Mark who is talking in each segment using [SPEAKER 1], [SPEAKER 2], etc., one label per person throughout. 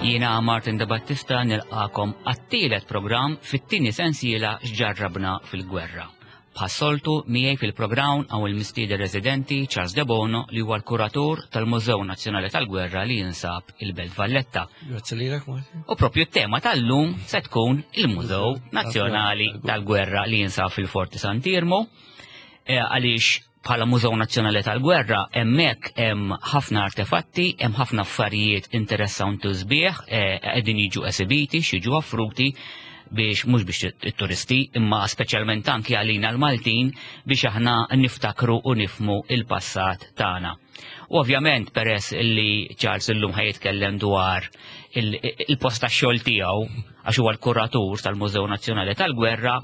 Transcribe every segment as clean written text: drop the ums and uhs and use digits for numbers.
[SPEAKER 1] Jiena Martin De Battista nilqakom għat-tielet programm fit-tieni sensiela x'ġarrabna fil-gwerra. Bħas-soltu miegħi fil-programm hawn il-mistieden residenti Charles Debono li huwa l-kuratur tal-Mużew Nazzjonali tal-Gwerra li jinsab il-Belt Valletta.
[SPEAKER 2] Grazzi lilek Martin.
[SPEAKER 1] U propju t-tema tal-lum se tkun il-Mużew Nazzjonali tal-Gwerra li jinsab fil-Forti Sant'Irmo eh, għaliex bħala Mużew Nazzjonali tal-Gwerra hemmhekk hemm ħafna artefatti, hemm ħafna affarijiet interessanti u sbieħ eh, qegħdin jiġu esibiti, x'jiġu offruti biex mhux biex it-turisti imma speċjalment anki għalina l-Maltin biex aħna niftakru u nifmu il-passat tagħna. U ovvjament peress li Charles illum ħaj jitkellem dwar il-post tax-xogħol tiegħu għax huwa l-kuratur tal-Mużew Nazzjonali tal-Gwerra,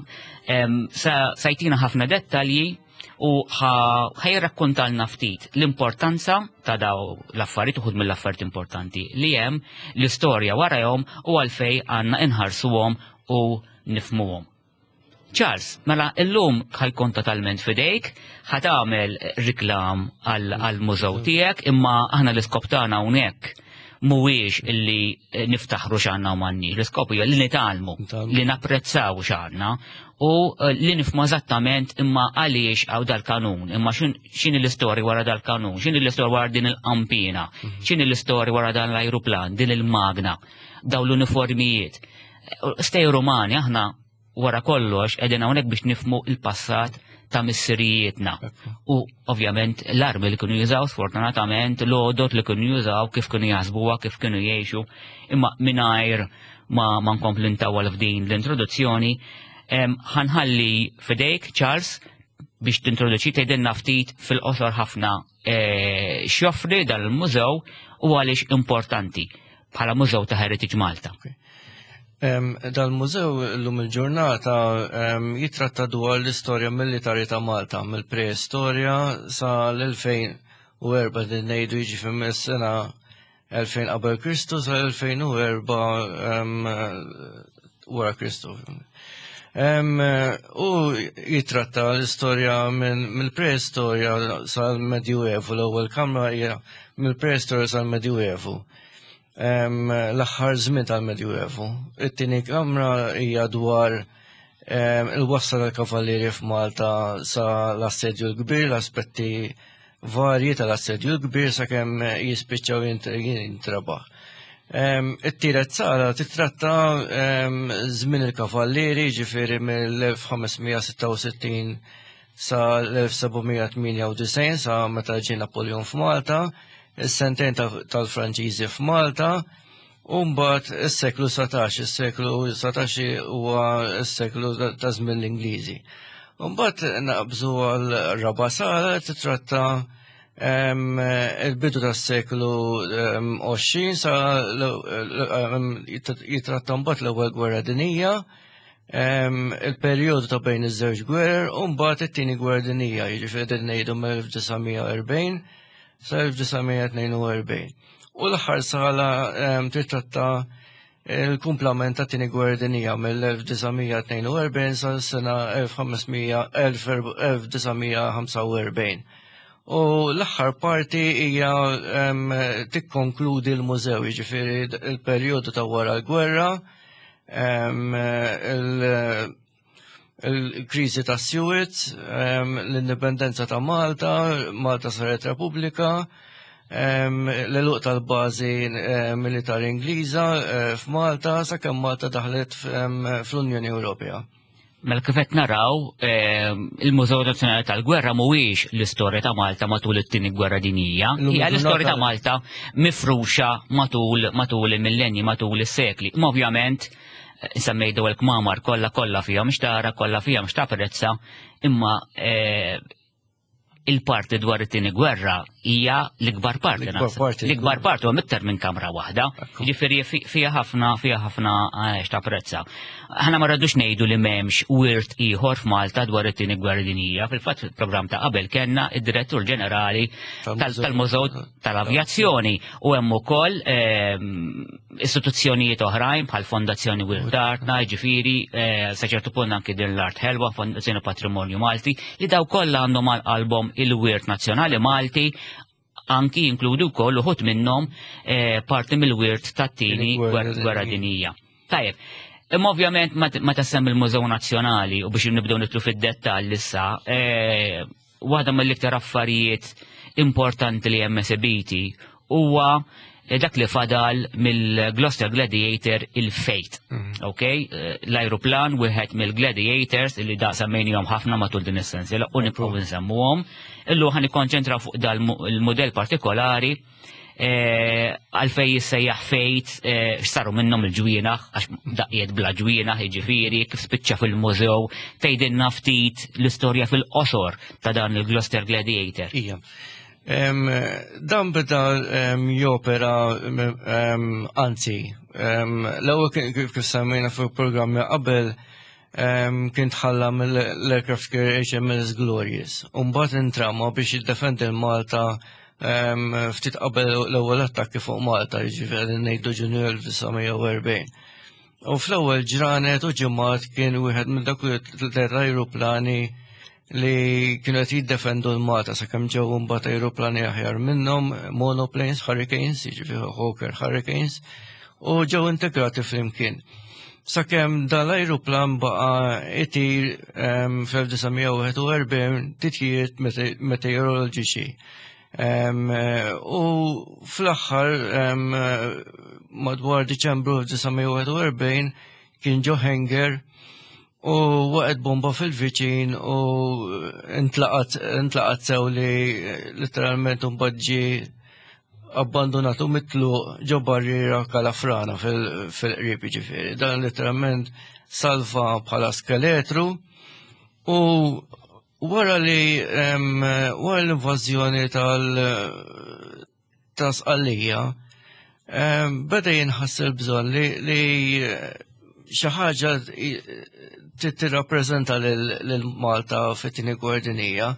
[SPEAKER 1] sa jtina ħafna dettalji u ħajrakkontalna ftit l-importanza ta' daw l-affarijiet uħud mill-affarijiet importanti li hemm, l-istorja warahom u għalfej għandna inħarsuhom u nifmuhom. Charles, mela illum ħajkun totalment fidejk, ħatagħmel riklam għall-mużew tiegħek, imma aħna l-iskop tagħna hawnhekk mhuwiex illi niftaħru x'għandna u m'għandniex. L-iskop hija li nitgħallmu, li napprezzaw x'għandna u eh, li nifhmu eżattament imma għaliex għaw dal-kanun, imma x'inhi l-istorja wara dal-kanun, x'inhi l-istorja wara din il-qampina, mhm. x'inhi l-istorja wara dan l-ajruplan, din il-magna, daw l-uniformijiet. Stej Rumani aħna wara kollox qegħdin hawnhekk biex nifmu il-passat ta' missirijietna. U ovvjament l-armi li kienu jużaw sfortunatament, l-għodot li kienu jużaw, kif kienu jaħsbuha, kif kienu jgħixu, imma mingħajr ma, ma nkompli ntawwal f'din l-introduzzjoni, ħanħalli fidejk Charles biex tintroduċi tgħidilna ftit fil-qosor ħafna eh, x'joffri dan il-mużew u għaliex importanti bħala mużew ta' Heritage Malta.
[SPEAKER 2] Dal-mużew l-lum il-ġurnata jitratta dwar l-istorja militari ta' Malta mill-preistorja sa l-2004 din ngħidu jiġifieri mis-sena 2000 qabel Kristu sa 2004 wara Kristu. U jitratta l-istorja mill-preistorja sal-Medjuevu, l-ewwel kamra hija mill-preistorja sal-Medjuevu. L-aħħar żmien tal-Medjuevu. It-tieni kamra hija dwar il-wasla tal-kavallieri f'Malta sa l-assedju l-kbir, l-aspetti varji tal-assedju l-kbir sakemm jispiċċaw jintrebaħ. It-tielet sala titratta żmien il-kavallieri, ġifieri mill-1566 sa l-1798 sa meta ġie Napoleon f'Malta, is-sentejn tal-Franċiżi f'Malta, u mbagħad is-seklu 19, is-seklu 19 huwa s-seklu ta' żmien l-Ingliżi. Mbagħad naqbżu għal raba' sala titratta il-bidu tas-seklu 20 sa jitratta mbagħad l-ewwel gwerra dinija, il-perjodu ta' bejn iż-żewġ gwerer u mbagħad it-tieni gwerra dinija, jiġifieri qegħdin ngħidu mill-1940 sa 1942. U l-aħħar sala titratta il-kumplament ta' tieni gwerra dinija mill-1942 sa sena 1945. U l-aħħar parti hija tikkonkludi l-mużew, jiġifieri il-perjodu ta' wara l-gwerra, il-kriżi ta' Suez, l-indipendenza ta' Malta, Malta saret Repubblika, l-eluq tal-bażi militari Ingliża eh, f'Malta sakemm Malta daħlet fl-Unjoni Ewropea.
[SPEAKER 1] Mela kif qed naraw, il-Mużew Nazzjonali tal-Gwerra mhuwiex l-istorja ta' Malta matul it-tieni gwerra dinjija, hija l-istorja ta' Malta mifruxa matul matul il-millenji, matul is-sekli. Ma ovvjament semmej daw il-kmamar kollha kollha fihom xtara, kollha fihom x'tapprezza, imma eh, il-parti dwar it-tieni gwerra hija l-ikbar parti. L-ikbar parti huwa iktar minn kamra waħda. Ġifieri fiha ħafna fiha ħafna eh, x'tapprezza. Aħna ma rridux ngħidu li m'hemmx wirt ieħor f'Malta dwar it-tieni gwerra dinjija. Fil-fatt fil-programm ta' qabel kellna id-direttur ġenerali tal-Mużew tal-Avjazzjoni u hemm ukoll ehm, istituzzjonijiet oħrajn bħal Fondazzjoni Wirt Artna, ġifieri eh, sa ċertu punt anki din l-Art Ħelwa, Fondazzjoni Patrimonju Malti, li daw kollha għandhom għal qalbhom il-wirt nazzjonali Malti. anki jinkludu wkoll uħud minnhom parti mill-wirt tat-tieni gwerra dinija. Tajjeb, imma ovvjament meta semmi l-Mużew Nazzjonali u biex nibdew nitlu fid-dettall issa, waħda mill-iktar affarijiet importanti li hemm esebiti huwa dak li fadal mill-Gloucester Gladiator il-Fate. Ok? L-aeroplan wieħed mill-Gladiators li da semmejnihom ħafna matul din is-sensiela u nibqgħu nsemmuhom. Illu ħa nikkonċentraw fuq dal il-modell partikolari għalfej jissejjaħ Fate, x'saru minnhom il-ġwienaħ, għax daqqiet bla ġwienaħ, jiġifieri, kif spiċċa fil-mużew, tgħidilna ftit l-istorja fil-qosor ta' dan il-Gloucester Gladiator.
[SPEAKER 2] Ija. Dan beda jopera, anzi, l-ewwel kif semmejna fuq programmi qabel, kien tħalla mill-aircraft carrier HMS Glorious. U mbagħad intrama biex jiddefendi l-Malta ftit qabel l-ewwel attakki fuq Malta, jiġifieri ngħidu Ġunju 1940. U fl-ewwel ġranet u ġimgħat kien wieħed minn dak tliet ajruplani li kienu qed jiddefendu l-Malta sakemm ġew imbagħad ajruplani aħjar minnhom, monoplanes, Hurricanes, jiġifieri Hawker Hurricanes, u ġew integrati flimkien. Sakemm dal-ajruplan baqa' itir fl-1941 titjiriet meteoroloġiċi. U fl-aħħar madwar Diċembru 1941 kien ġo hangar u waqgħet bomba fil-viċin u intlaqat sew li letteralment mbagħad ġie abbandonatu mitluq ġo barriera Kalafrana fil-qrib ġifieri. Dan letteralment salva bħala skeletru u wara li wara l-invażjoni ta' Sqallija beda jinħass il-bżonn li xi ħaġa tirrappreżenta lil Malta fit-tieni gwerra dinjija.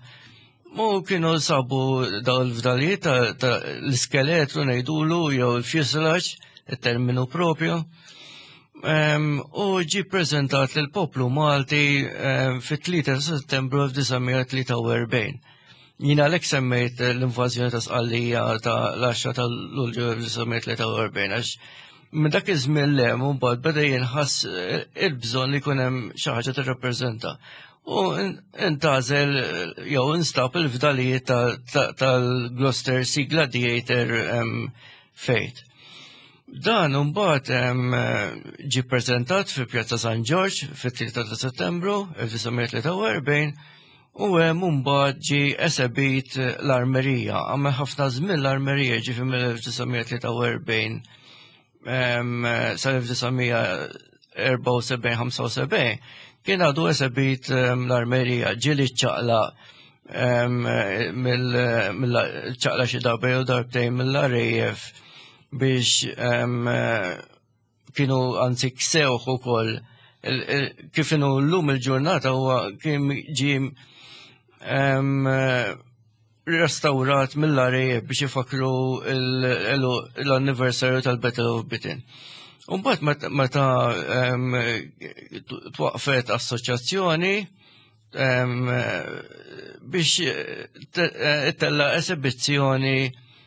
[SPEAKER 2] Mu kienu sabu daw il-fdalijiet ta' l-iskeletru ngħidulu jew il-fuselage, il-terminu propju. U ġi prezentat lil poplu Malti fit-3 ta' Settembru 1943. Jina l semmejt l-invażjoni ta' Sqallija ta' l-10 ta' Lulju 1943 għax minn dak iż-żmien le mbagħad beda jinħass il-bżonn li jkun hemm xi ħaġa tirrappreżenta. U intgħażel jew instab il-fdalijiet tal-Gloucester Sea Gladiator Fate. Dan mbagħad ġi preżentat fi Pjazza San Ġorġ fit-3 ta' Settembru 1943 u hemm mbagħad ġi esebit l-armerija. Għamel ħafna żmien l-armerija ġi mill-1943 sal-1974-75 kien għadu esebit l-armerija ġieli ċaqla mill-ċaqla xi darba jew darbtejn mill-RAF biex kienu anzi ksewħ ukoll kif inhu llum il-ġurnata huwa kien ġie restaurat mill-RAF biex ifakru l-anniversarju tal-Battle of Britain. Umbagħad meta twaqfet assoċjazzjoni biex ittella esibizzjoni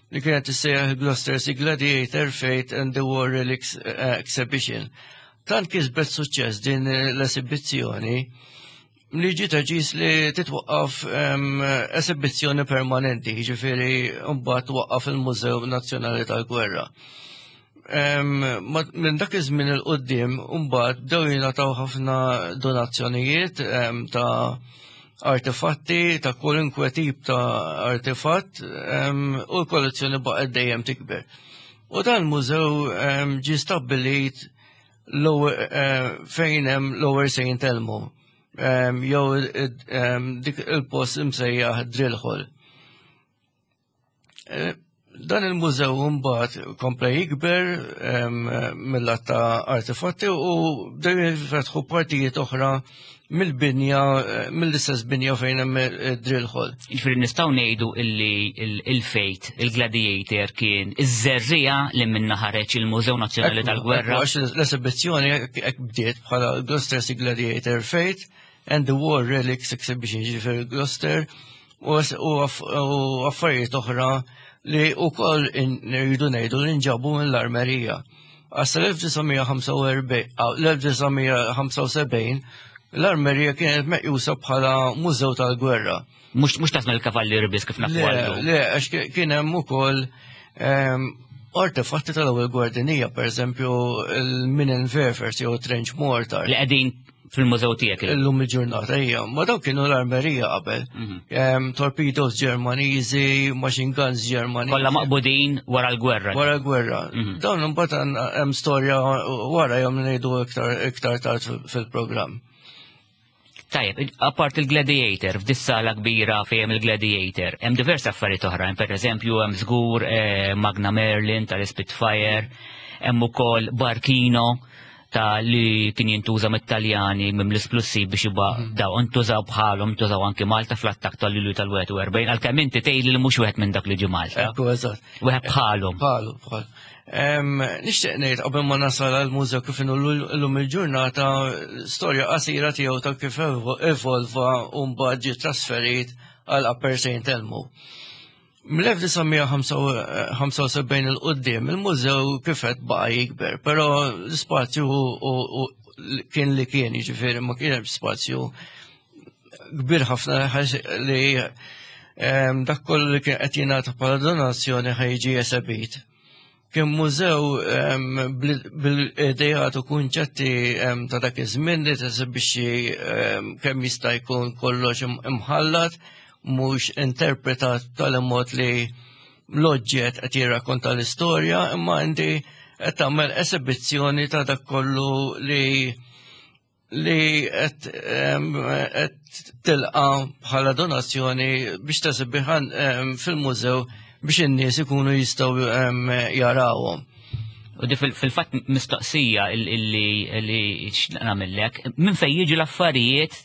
[SPEAKER 2] li kienet tissejjaħ Gloucester Sea Gladiator Fate and the War Relics Exhibition. Tant kisbet suċċess din l-esibizzjoni li ġiet deċiż li titwaqqaf esibizzjoni permanenti, ġifieri mbagħad twaqqaf il-Mużew Nazzjonali tal-Gwerra. Minn dak iż-żmien il quddiem mbagħad bdew jingħataw ħafna donazzjonijiet ta' artefatti, ta' kwalunkwe tip ta' artefatt, u l-kollezzjoni baqgħet dejjem tikber. U dan mużew ġie stabbilit fejn hemm Lower St. Elmo, jew dik il-post imsejjaħ Drill Hall. Dan il-mużew mbagħad kompla jikber mill-lat ta' artefatti u bdew jinfetħu partijiet oħra mill-binja, mill-istess binja fejn hemm id-drill hall.
[SPEAKER 1] Jiġifieri nistgħu ngħidu illi il-Fate, il-Gladiator kien iż-żerriegħa li minna ħareġ il-Mużew Nazzjonali tal-Gwerra.
[SPEAKER 2] Għax l-esibizzjoni hekk bdiet bħala Gloucester Sea Gladiator Fate and the War Relics Exhibition, ġifieri Gloucester u affarijiet oħra li li wkoll rridu ngħidu li nġabu mill-armerija. Għas l-1975 l-armerija kienet meqjusa bħala mużew tal-gwerra.
[SPEAKER 1] Mhux tasma l-kavallieri biss kif nafu
[SPEAKER 2] għallu. Le, għax kien hemm ukoll ehm, artefatti tal-ewwel gwardinija, pereżempju il-Minenwerfers jew trench mortar.
[SPEAKER 1] Li qegħdin fil-mużew tiegħek.
[SPEAKER 2] Illum il-ġurnata hija, ma dawk kienu l-armerija qabel. Mhm. Torpedoes Ġermaniżi, machine guns Ġermaniżi.
[SPEAKER 1] Kollha maqbudin wara l-gwerra.
[SPEAKER 2] Wara l-gwerra. Mhm. Dawn imbagħad hemm storja wara jom ngħidu iktar tard fil-programm.
[SPEAKER 1] Tajjeb, apart il-Gladiator, f'dis sala kbira fejn il-Gladiator, hemm diversi affarijiet oħra, per eżempju hemm żgur eh, Magna Merlin tal-Spitfire, hemm ukoll Barkino ta' li kien jintuża mit-Taljani minn l-isplussiv biex jibqa' mhm. daw intużaw bħalhom intużaw anki Malta fl-attakk tal-Lulju tal-41 għalkemm inti tgħid li mhux wieħed minn dak li ġie Malta.
[SPEAKER 2] Ekku eżatt.
[SPEAKER 1] Wieħed bħalhom.
[SPEAKER 2] Bħalu, bħalu. Nixtieq ngħid qabel ma nasal għall-mużew kif inhu llum il-ġurnata storja qasira tiegħu ta' kif evolva u mbagħad ġie trasferit għal Upper St. Elmo. Mill-1975 il qudiem il-mużew kif qed baqa' jikber, però l-ispazju kien li kien, jiġifieri ma kien hemm spazju kbir ħafna li dak kollu li kien qed jingħata bħala donazzjoni ħa jiġi esebit. Kien mużew bil-idejat u kunċetti ta' dak iż-żmien li tesibixxi kemm jista' jkun kollox imħallat, mhux interpretat tal-mod li l-oġġett qed jirrakkonta l-istorja, imma inti qed tagħmel esibizzjoni ta' dak kollu li li qed tilqa bħala donazzjoni biex tesibiħan fil-mużew biex in-nies ikunu jistgħu jarawhom.
[SPEAKER 1] U di fil-fatt mistoqsija illi nagħmellek, minn fejn jiġu l-affarijiet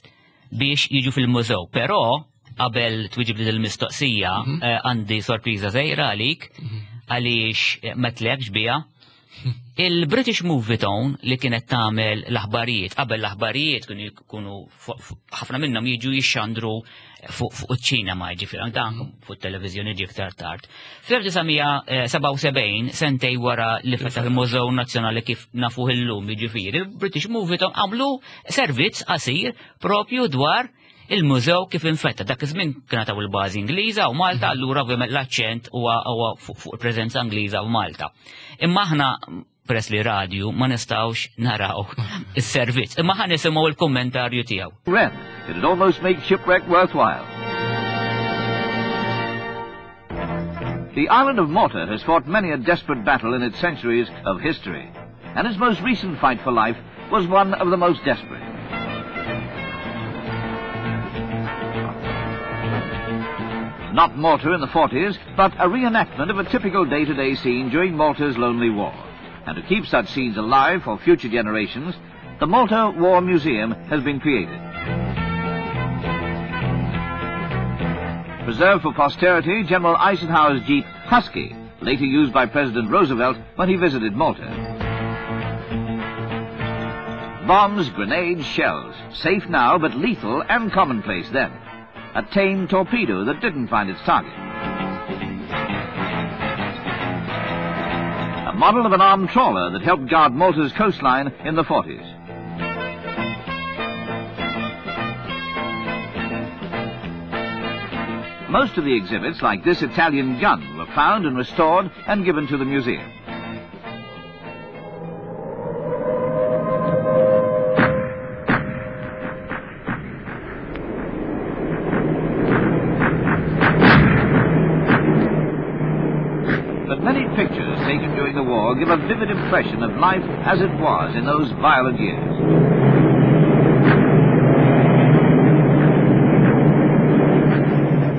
[SPEAKER 1] biex jiġu fil-mużew, però qabel twiġib li l-mistoqsija mhm. eh, għandi sorpriża żgħira għalik mhm. għaliex eh, ma tlekx biha. Il-British Movie Tone li kienet tagħmel l-aħbarijiet, qabel l-aħbarijiet kienu jkunu ħafna minnhom jiġu jixxandru fuq iċ-ċinema, ġifieri dan mhm. fuq it-televiżjoni ġie iktar tard. Fl-1977, sentej wara li fetaħ il-Mużew Nazzjonali kif nafuh illum, jiġifieri, il-British Movie Tone għamlu servizz qasir propju dwar il-mużew kif infetta. Dak iż-żmien kien taw il-bażi Ingliża u Malta, mhm. allura ovvjament l-aċċent huwa fuq il-preżenza Ingliża u Malta. Imma aħna peress li radju ma nistgħux naraw is-servizz, imma ħa nisimgħu l-kummentarju tiegħu.
[SPEAKER 3] Ren, it'd almost make shipwreck worthwhile. The island of Malta has fought many a desperate battle in its centuries of history, and its most recent fight for life was one of the most desperate. Not Malta in the 40s, but a reenactment of a typical day-to-day scene during Malta's lonely war. And to keep such scenes alive for future generations, the Malta War Museum has been created. Preserved for posterity, General Eisenhower's Jeep Husky, later used by President Roosevelt when he visited Malta. Bombs, grenades, shells, safe now but lethal and commonplace then. A tame torpedo that didn't find its target. A model of an armed trawler that helped guard Malta's coastline in the 40s. Most of the exhibits, like this Italian gun, were found and restored and given to the museum. But many pictures taken during the war give a vivid impression of life as it was in those violent years.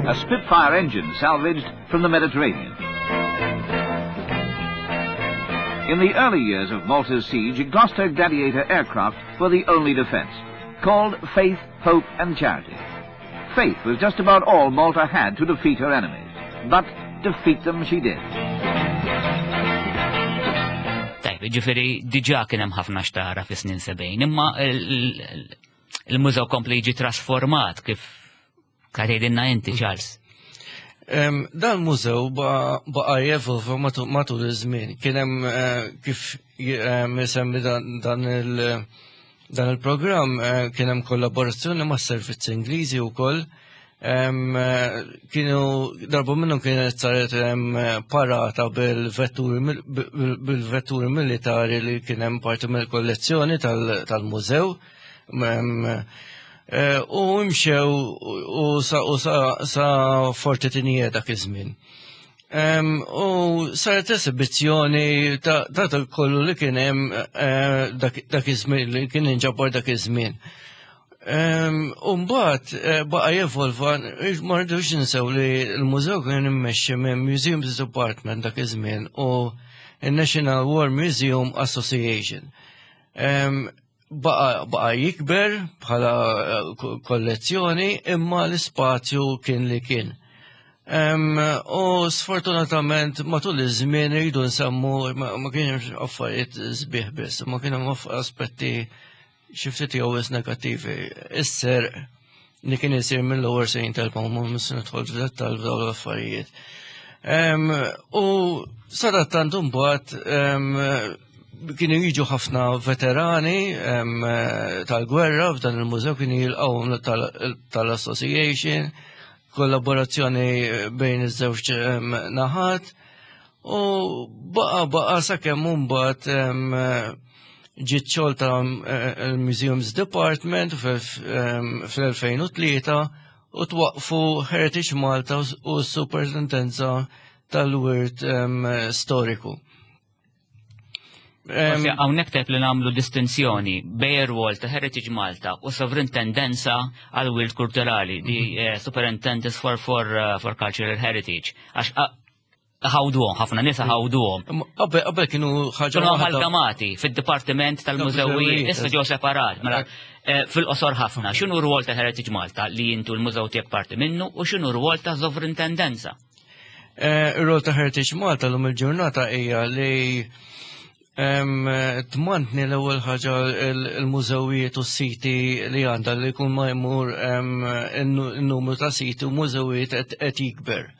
[SPEAKER 3] A Spitfire engine salvaged from the Mediterranean. In the early years of Malta's siege, Gloster Gladiator aircraft were the only defense, called Faith, Hope and Charity. Faith was just about all Malta had to defeat her enemies, but defeat them she did.
[SPEAKER 1] Tajb, ġifiri, diġa kien hemm ħafna xtara fi snin sebgħin, imma il-mużew kompli jiġi trasformat kif tgħidilna inti, Charles.
[SPEAKER 2] Dan mużew baqa' jevolva matul iż-żmien. Kien hemm eh, kif isemmi dan il- dan il-programm eh, kien hemm kollaborazzjoni mas-servizzi Ingliżi wkoll. Eh, kienu darba minnhom kienet saret parata bil-vetturi bil-vetturi militari li kien hemm parti mill-kollezzjoni tal-mużew. Eh, u imxew u sa Forti Tinije dak iż-żmien. U saret esibizzjoni ta' dak kollu li kien hemm eh, dak iż-żmien li kien inġabar dak iż-żmien. U mbagħad eh, baqa' jevolva, ma rridux ninsew li l-mużew kien immexxi minn Museums Department dak iż-żmien u n-National War Museum Association. Baqa jikber bħala eh, kollezzjoni imma l-ispazju kien li kien. U sfortunatament matul iż-żmien rridu nsemmu ma kienx affarijiet sbieħ biss, ma kien hemm aspetti xi ftit jew negattivi. Is-serq li kien isir mill-lower Saint Elmo ma mis nidħol f'dettall f'dawn l-affarijiet. U sadattant imbagħad kienu jiġu ħafna veterani tal-gwerra f'dan il-mużew kienu jilqgħu tal-association, kollaborazzjoni bejn iż-żewġ naħat u baqa baqa sakemm imbagħad ġiet xolta il-Museums Department fl-2003 u twaqfu Heritage Malta u s-Superintendenza tal-Wirt Storiku.
[SPEAKER 1] Hawnhekk tajb li nagħmlu distinzjoni bejn ir-rwol ta' Heritage Malta u Sovrintendenza għal Wirt Kulturali, di mhm. eh, Superintendence for, for, eh, for Cultural Heritage. Għax ħawduhom, ħafna nisa ħawduhom.
[SPEAKER 2] Qabel kienu
[SPEAKER 1] ħaġa. Kienu amalgamati fid-dipartiment tal-mużewijiet, issa ġew separat. Mela, eh, fil-qosor ħafna, x'inhu rwol ta' Heritage Malta li jintu l-mużew tiegħek parti minnu u x'inhu rwol ta' sovrintendenza?
[SPEAKER 2] Eh, ir-rol ta' Heritage Malta l-lum il-ġurnata hija li tmantni l-ewwel ħaġa il-mużewijiet u s-siti li għandha li jkun ma jmur in-numru ta' siti u mużewijiet qed jikber.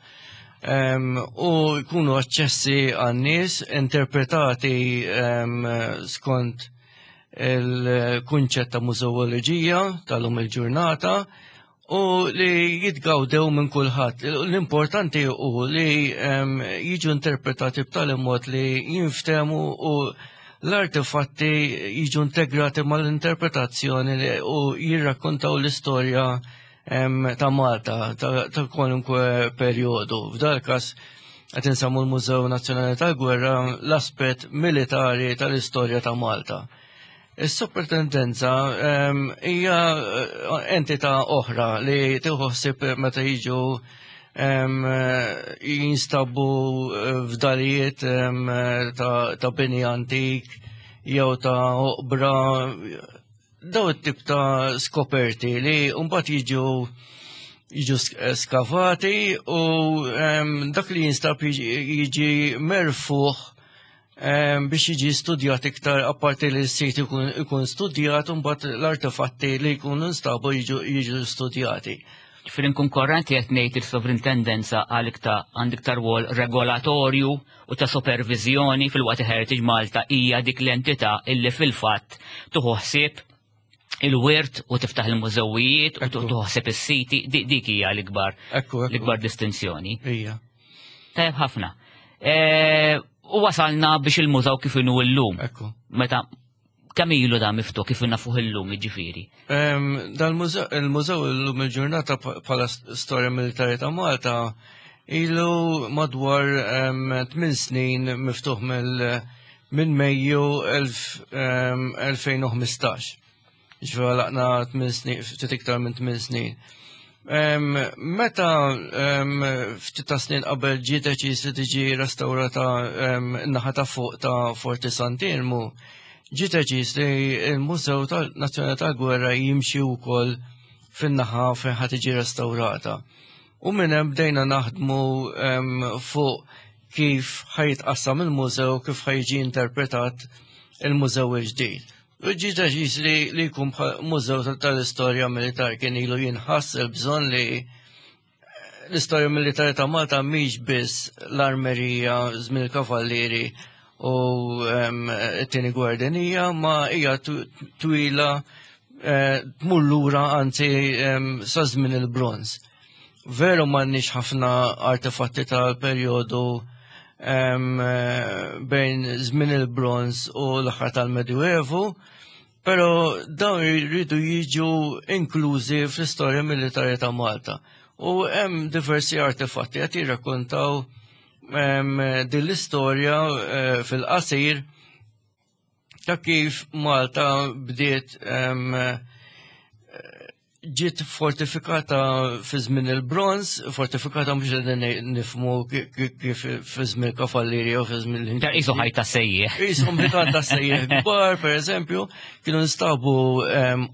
[SPEAKER 2] U jkunu aċċessi għan-nies interpretati skont il-kunċett ta' mużewoloġija tal-lum il-ġurnata u li jitgawdew minn kulħadd. L-importanti hu li jiġu interpretati b'tali mod li jinftemu u l-artefatti jiġu integrati mal-interpretazzjoni u jirrakkontaw l-istorja ta' Malta ta' kwalunkwe perjodu. F'dal każ qed insemmu l-Mużew Nazzjonali tal-Gwerra l-aspett militari tal-istorja ta' Malta. Is-superintendenza ehm, hija eh, entità oħra li tieħu ħsieb meta jiġu ehm, jinstabu eh, fdalijiet ehm, ta' bini antik jew ta' oqbra daw it-tip ta' skoperti li mbagħad jiġu jiġu skavati u dak li jinstab jiġi merfuħ biex jiġi studjat iktar apparti li s-sit ikun studjat u mbagħad l-artefatti li jkunu nstabu jiġu studjati.
[SPEAKER 1] Ġifieri nkun korrenti qed ngħid il-sovrintendenza għal iktar għand iktar rwol regolatorju u ta' supervizjoni fil-waqt Heritage Malta hija dik l-entità illi fil-fatt tuħu ħsieb il-wirt u tiftaħ il-mużewijiet u tuħu ħsieb is-siti, dik hija l-ikbar l-ikbar distinzjoni.
[SPEAKER 2] Hija.
[SPEAKER 1] Tajjeb ħafna. E, u wasalna biex il-mużaw kif inhu llum. Meta kemm ilu da miftuħ kif nafuh illum jiġifieri?
[SPEAKER 2] Dan il-mużew illum il-ġurnata bħala storja militari ta' Malta ilu madwar 8 snin miftuħ minn Mejju 2015. Ġifieri laqna 8 snin, ftit iktar minn 8 snin. Meta ftit ta' snin qabel ġie deċiż li tiġi restawrata n-naħa ta' fuq ta' Forti Sant'Irmu, ġie deċiż li l-Mużew Nazzjonali tal-Gwerra jimxi wkoll fin-naħa fejn ħa tiġi restawrata. U minn hemm bdejna naħdmu fuq kif ħajtqassam il-mużew, kif ħajġi interpretat il-mużew il-ġdid. U ġie deċiż li li jkun bħal mużew tal-istorja militari kien ilu jinħass il-bżonn li L-istorja militari ta' Malta mhix biss l-armerija żmien il-kavallieri u t-tieni gwerra dinjija, ma hija twila eh, tmur lura anzi sa żmien il-bronż. Veru m'għandniex ħafna artefatti tal-perjodu bejn żmien il-bronż u l-aħħar tal-Medjuevu, Però dawn jridu jiġu inklużi fl-istorja militari ta' Malta. U hemm diversi artefatti qed jirrakkontaw din l-istorja eh, fil-qasir ta' kif Malta bdiet ġiet fortifikata fi żmien il-bronz, fortifikata mhux qegħdin nifmu kif fi żmien kavallieri jew fi żmien
[SPEAKER 1] il Isu ħajta sejjeħ.
[SPEAKER 2] Isu ħajta sejjeħ kbar, pereżempju, kienu nstabu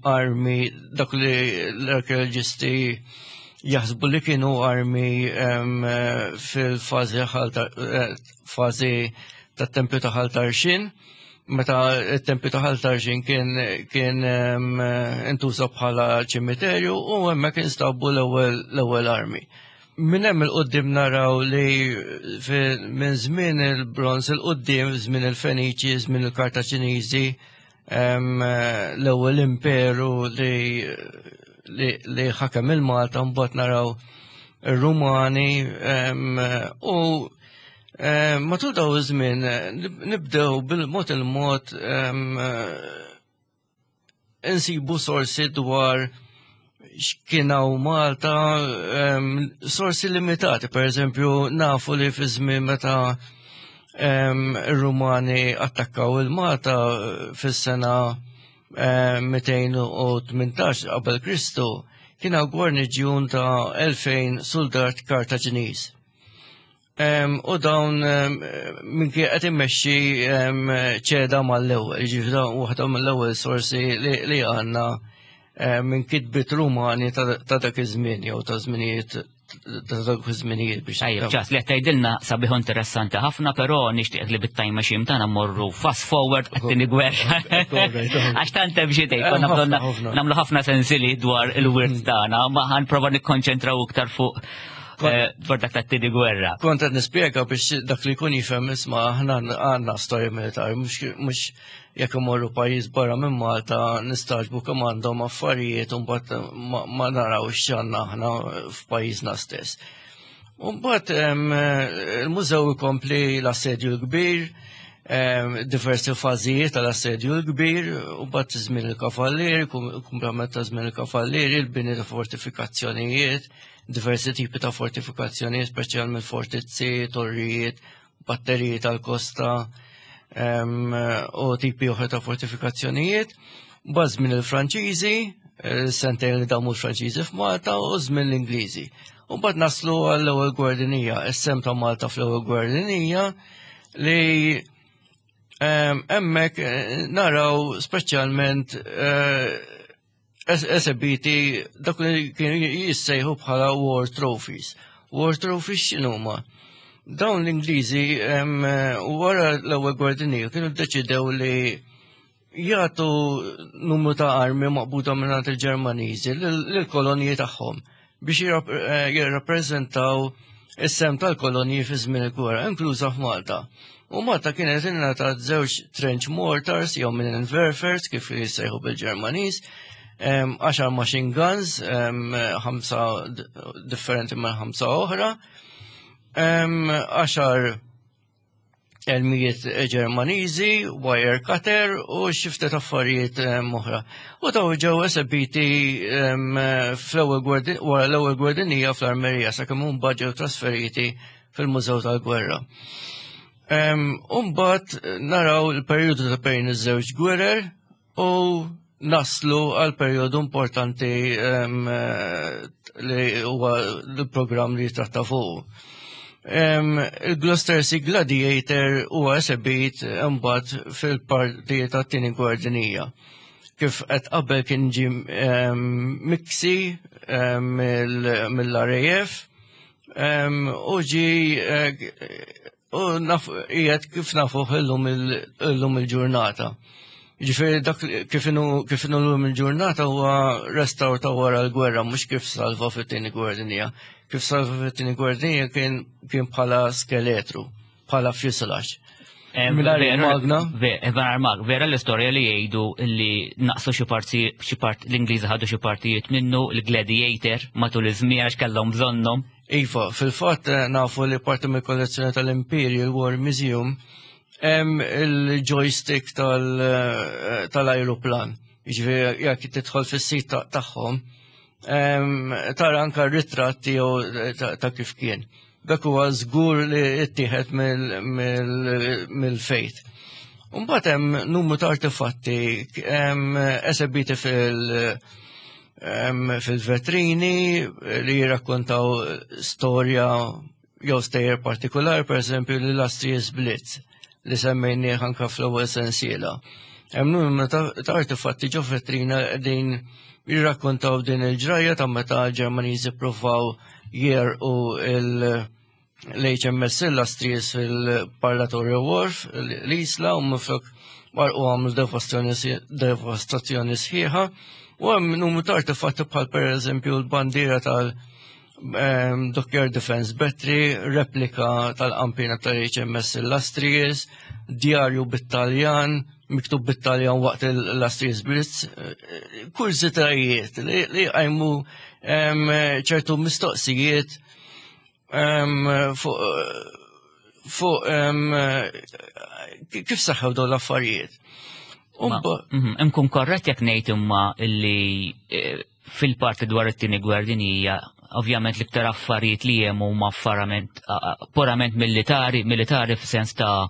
[SPEAKER 2] armi dak li l-arkeoloġisti jaħsbu li kienu armi fil-fażi eh, fażi tat-tempju ta' Ħal Tarxien. Meta t-tempju ta' Ħal Tarxien kien kien intuża bħala ċimiterju u hemmhekk instabu l-ewwel armi. Minn hemm il-qudiem naraw li minn żmien il-bronz il-qudiem, żmien il-Feniċi, żmien il-Kartaċiniżi, l-ewwel imperu li li ħakem il-Malta mbagħad naraw ir-Rumani u matul daw iż-żmien nibdew bil-mod il-mod insibu sorsi dwar x'kien hawn Malta, sorsi limitati, per eżempju, nafu li fi żmien meta ir-Rumani attakkaw il-Malta fis-sena 218 qabel Kristu, kien hawn gwarniġjun ta' 2000 soldat Kartaġiniż. U dawn minn kien qed immexxi ċeda mal-ewwel, jiġifieri dawn waħda mill-ewwel sorsi li għandna minn kitbiet Rumani ta' dak iż-żmien jew ta' żminijiet ta' dak iż-żminijiet biex.
[SPEAKER 1] Tajjeb, ċas li qed tgħidilna sabiħ interessanti ħafna, però nixtieq li bit-time machine tagħna mmorru fast forward għat-tieni gwerra. Għax tant hemm xi tgħid, konna bżonn nagħmlu ħafna sensili dwar il-wirt tagħna, ma ħanprova nikkonċentraw iktar fuq Eh, dwar dak tat-tieni gwerra.
[SPEAKER 2] Kont qed nispjega biex dak li jkun jifhem isma' aħna għandna storja militari mhux jekk imorru pajjiż barra minn Malta nistaġbu kemm għandhom affarijiet u mbagħad ma naraw x'għandna aħna f'pajjiżna stess. U mbagħad il-mużew ikompli l-assedju l-kbir, diversi fażijiet tal-assedju l-kbir, u mbagħad żmien il-kavallieri, kumplament ta' żmien il-kavallieri, il-bini ta' fortifikazzjonijiet, diversi tipi ta' fortifikazzjonijiet, speċjalment fortizzi, torrijiet, batteriji tal-kosta u tipi oħra ta' fortifikazzjonijiet. Baż minn il-Franċiżi, eh, sentejn li damu l-Franċiżi f'Malta u żmien l-Ingliżi. U bad naslu għall-ewwel gwerra dinija, is-sem ta' Malta fl-ewwel gwerra dinija li hemmhekk eh, naraw speċjalment eh, esebiti dak li kienu jissejħu bħala war trophies. War trophies x'inhuma? Dawn l-Ingliżi wara l-ewwel gwerra dinjija kienu ddeċidew li jagħtu numru ta' armi maqbuda minn il-Ġermaniżi lill-kolonji tagħhom biex eh, jirrappreżentaw is-sem tal-kolonji fi żmien il-gwerra, inkluża f'Malta. U Malta kienet ingħatat żewġ trench mortars jew minn inverfers kif jissejħu bil-Ġermaniż, 10 machine guns, ħamsa differenti minn ħamsa oħra, 10 elmijiet Ġermaniżi, wire cutter u xi ftit affarijiet oħra. U daw ġew esebiti fl-ewwel wara l-ewwel gwerra dinjija fl-Armerija sakemm imbagħad ġew trasferiti fil-Mużew tal-Gwerra. U mbagħad naraw il-perjodu ta' bejn iż-żewġ gwerer u naslu għal perjodu importanti li huwa l-programm li jitratta fuq. Il-Gloucester Sea Gladiator huwa esebit imbagħad fil-partijiet tat-tieni gwerra dinjija. Kif qed qabel kien ġie miksi mill-RAF u ġi eh, U naf, qiegħed kif nafuh illum illum il-ġurnata. Ġifieri dak kif inhu kif inhu llum il-ġurnata huwa restawr ta' wara l-gwerra mhux kif salva fit-tieni gwerra dinjija. Kif salva fit-tieni gwerra dinjija kien kien bħala skeletru, bħala fuselage.
[SPEAKER 1] Magna. Vera l-istorja li jgħidu li naqsu xi parti xi part l-Ingliżi ħadu xi partijiet minnu l-Gladiator matul iż-żmien għax kellhom bżonnhom.
[SPEAKER 2] Iva, fil-fatt eh, nafu li parti mill-kollezzjoni tal-Imperial War Museum hemm il-joystick eh, tal-ajruplan. Jiġifieri jekk tidħol fis-sit tagħhom, tara anka r-ritratt tiegħu eh, ta' kif kien. Dak huwa żgur li ttieħed mill-fejt. Mbagħad hemm numru ta' artefatti esebiti fil- fil-vetrini li jirrakkontaw storja jew stejjer partikolari, per eżempju l-Illustrious Blitz li semmejnieh anka fl-ewwel sensiela. Hemm numru ta' artefatti ġo vetrina qegħdin jirrakkontaw din il-ġrajja ta' meta l-Ġermaniżi ppruvaw jerqu l-HMS Illustrious fil-Parlatorio Wharf l-Isla u minflok marqu għamlu devastazzjoni sħiħa. U hemm numru ta' artefatti bħal per eżempju l-bandiera tal- Dockyard Defense Battery, replika tal-qampina tal-HMS Illustrious, djarju bit-Taljan, miktub bit-Taljan waqt l-Illustrious Blitz, eh, kurzitajiet li għajmu ċertu mistoqsijiet fuq kif saħħew dawn l-affarijiet.
[SPEAKER 1] Nkun korrett jekk ngħid imma li eh, fil-parti dwar it-tieni gwerra dinjija ovvjament l-iktar affarijiet li hemm huma affarament purament militari, militari f'sens ta'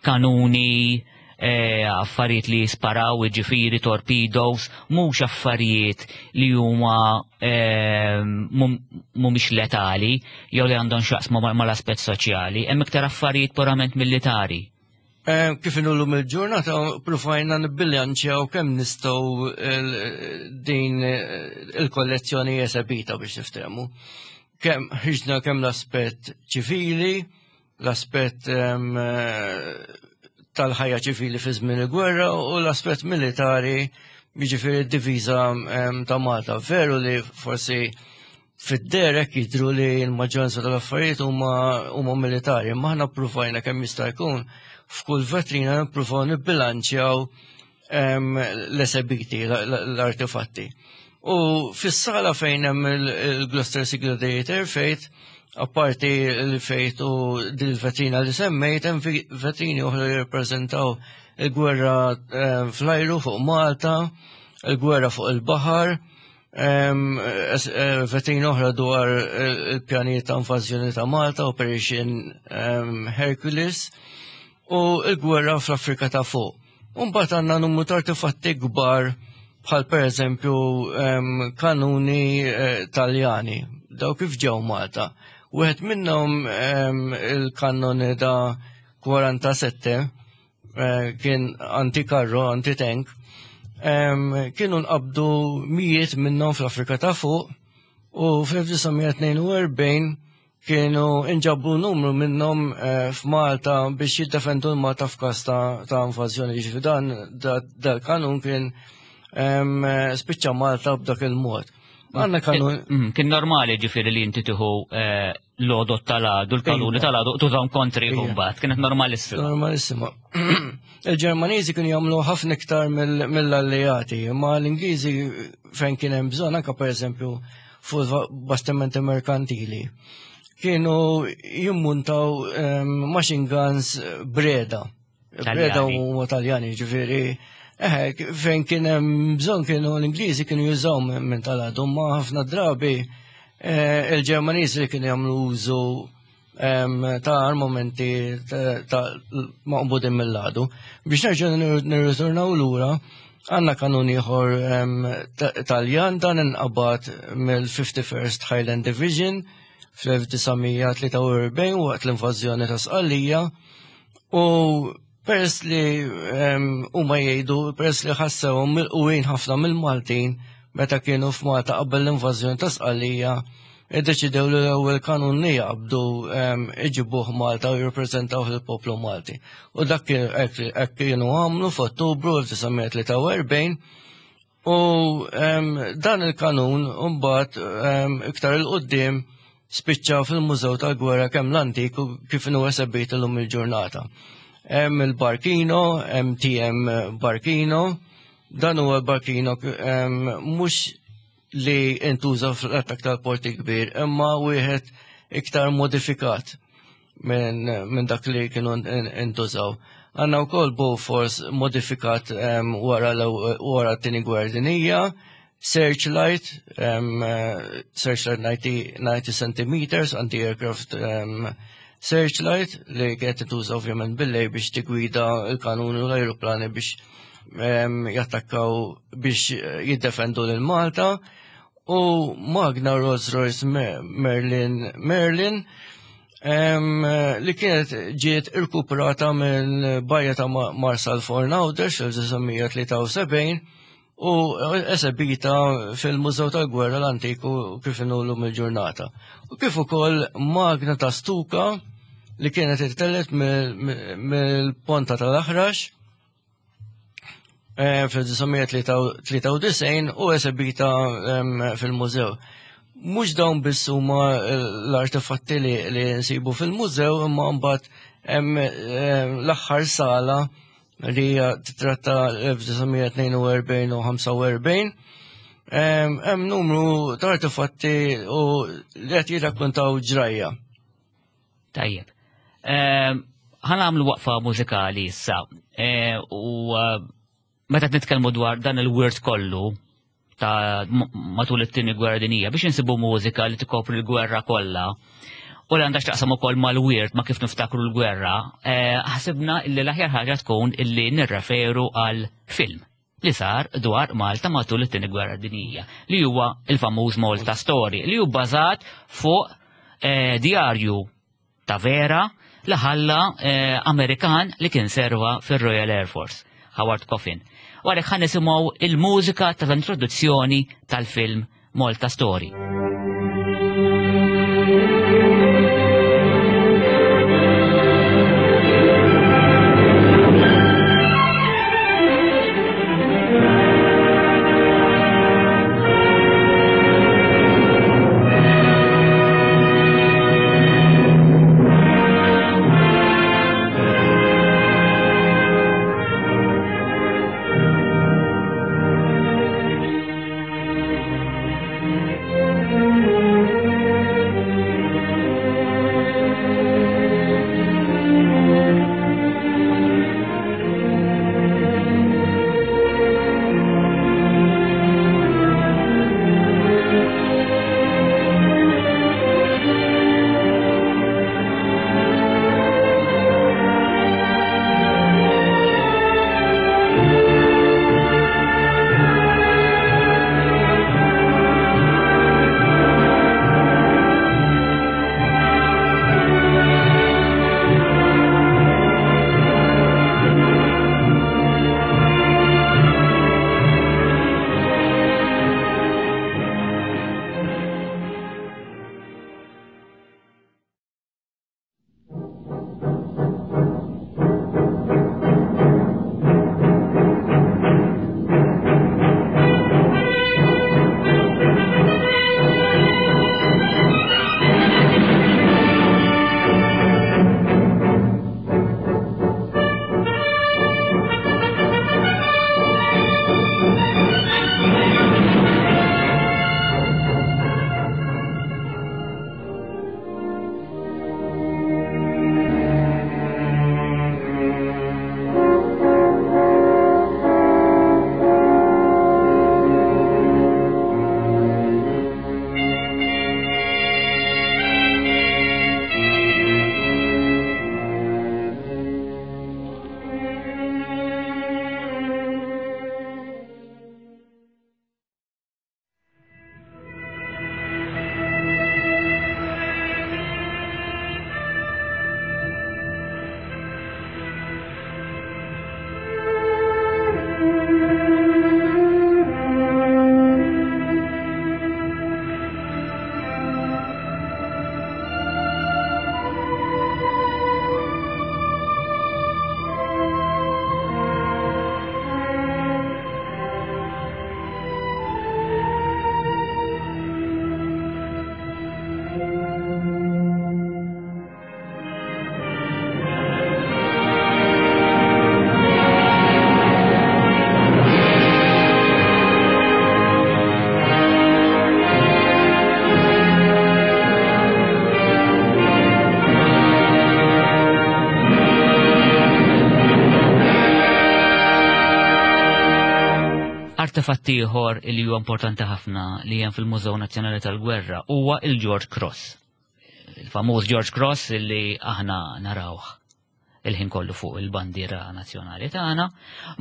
[SPEAKER 1] kanuni, e, affarijiet li jisparaw, ġifiri, torpedoes, mhux affarijiet li huma e, mhumiex letali jew li għandhom x'jaqsmu mal-aspett soċjali, hemm iktar affarijiet purament militari.
[SPEAKER 2] Eh, kif inullu mill-ġurnata pruvajna nibbilanċjaw kemm nistgħu din eh, il-kollezzjoni esebita biex niftehmu. Kemm ħiġna kemm l-aspett ċivili, l-aspett eh, tal-ħajja ċivili fi żmien il-gwerra u l-aspett militari jiġifieri d-diviża ta' Malta. Veru li forsi fid-derek jidru li l-maġġoranza tal-affarijiet huma huma militari, imma aħna ppruvajna kemm jista' jkun f'kull vetrina nippruvaw nibbilanċjaw ehm, l-esebiti, l-artefatti. U fis-sala fejn hemm il-Gloucester Sea Gladiator fejt, apparti l-fejt u dil-vetrina li semmejt, hemm vetrini oħra li jirrappreżentaw il-gwerra ehm, fl-ajru fuq Malta, il-gwerra fuq il-baħar, Eh, vetrina oħra dwar il-pjanijiet ta' invażjoni ta' Malta, Operation Hercules, u l-gwerra fl-Afrika ta' fuq. Mbagħad għandna numru ta' artefatti kbar bħal pereżempju kanuni eh, Taljani, daw kif ġew Malta. Wieħed minnhom il-kanoni da 47 Eh, kien anti-karro, anti-tank, kienu nqabdu mijiet minnhom fl-Afrika ta' fuq u fl-1942 kienu inġabbu numru minnhom eh, f'Malta biex jiddefendu l-Malta f'każ ta' invażjoni. Ġifieri dan dal-kanun kien spiċċa Malta b'dak il-mod.
[SPEAKER 1] Għanna kanun. Mm, kien normali ġifieri li inti tieħu eh, l-odot tal-għadu, l-kanuni iva. tal-għadu, tużaw kontri kumbat, kienet normalissima.
[SPEAKER 2] Normalissima. Il-Ġermaniżi kienu jagħmlu ħafna iktar mill-alleati, imma l-Ingliżi fejn kien hemm bżonn anke pereżempju fuq bastimenti merkantili. Kienu jimmuntaw ehm, machine guns breda. Breda u Taljani, ġifieri. Eh, fejn kien hemm bżonn kienu l-Ingliżi kienu jużaw minn tal-għadu, ma ħafna drabi eh, il-Ġermaniżi li kienu jagħmlu użu ta' armamenti ta' maqbudin mill-għadu. Biex nerġa' nirritornaw lura, għandna kanun ieħor Taljan dan inqabad mill-51st Highland Division fl-1943 waqt l-invażjoni ta' Sqallija U peress li huma jgħidu peress li ħassewhom milquin ħafna mill-Maltin meta kienu f'Malta qabel l-invażjoni ta' Sqallija, iddeċidew li l-ewwel kanun li jaqbdu iġibuh Malta u jirrappreżentaw il-poplu Malti. U dak hekk kienu għamlu f'Ottubru 1943 u dan il-kanun mbagħad iktar 'il quddiem spiċċa fil-Mużew tal-Gwerra kemm l-antik u kif inhu esebit illum il-ġurnata. Hemm il-Barkino, MTM Barkino, dan huwa l-Barkino mhux li intuża fl-attak tal-Port il-Kbir, imma wieħed iktar modifikat minn min dak li kienu intużaw. Għanna wkoll Bofors modifikat wara wara t-tieni gwerra dinija, Searchlight, Searchlight 90, 90 cm, anti-aircraft Searchlight li kienet tintuża ovvjament bil-lej biex tigwida l-kanuni u l-ajruplani biex jattakkaw biex jiddefendu lil Malta u magna Rolls Royce Merlin Merlin li kienet ġiet irkuprata minn bajja ta' Marsal Fornawdex fl-1973 u esebita fil-Mużew tal-Gwerra l-Antiku kif inhu llum il-ġurnata. U kif ukoll magna ta' stuka li kienet ittellet mill-ponta tal-Aħrax eh, fl-1993 u esebita fil-mużew. Mhux dawn biss huma l-artefatti li nsibu fil-mużew imma mbagħad hemm l-aħħar sala li hija titratta l-1942 u 45. Hemm numru ta' artefatti u li qed jirrakkontaw ġrajja.
[SPEAKER 1] Tajjeb. Ħa nagħmlu waqfa mużikali issa. Eh, u eh, meta nitkellmu dwar dan il-wirt kollu ta' matul it-tieni gwerra dinija biex insibu mużika li tikopri l-gwerra kollha u li għandha x'taqsam ukoll mal-wirt ma' kif niftakru l-gwerra, eh, ħasibna li l-aħjar ħaġa tkun illi nirreferu għal film li sar dwar Malta matul it-tieni gwerra dinjija, li huwa il-famuż Malta Story, li hu bbażat fuq eh, djarju ta' vera li ħalla eh, Amerikan li kien serva fir-Royal Air Force, Howard Coffin. U għalhekk ħa nisimgħu il-mużika tal-introduzzjoni tal-film Malta Story. Artefatt ieħor li huwa importanti ħafna li hemm fil-Mużew Nazzjonali tal-Gwerra huwa il-George Cross. Il-famuż George Cross li aħna narawh il-ħin kollu fuq il-bandiera nazzjonali tagħna.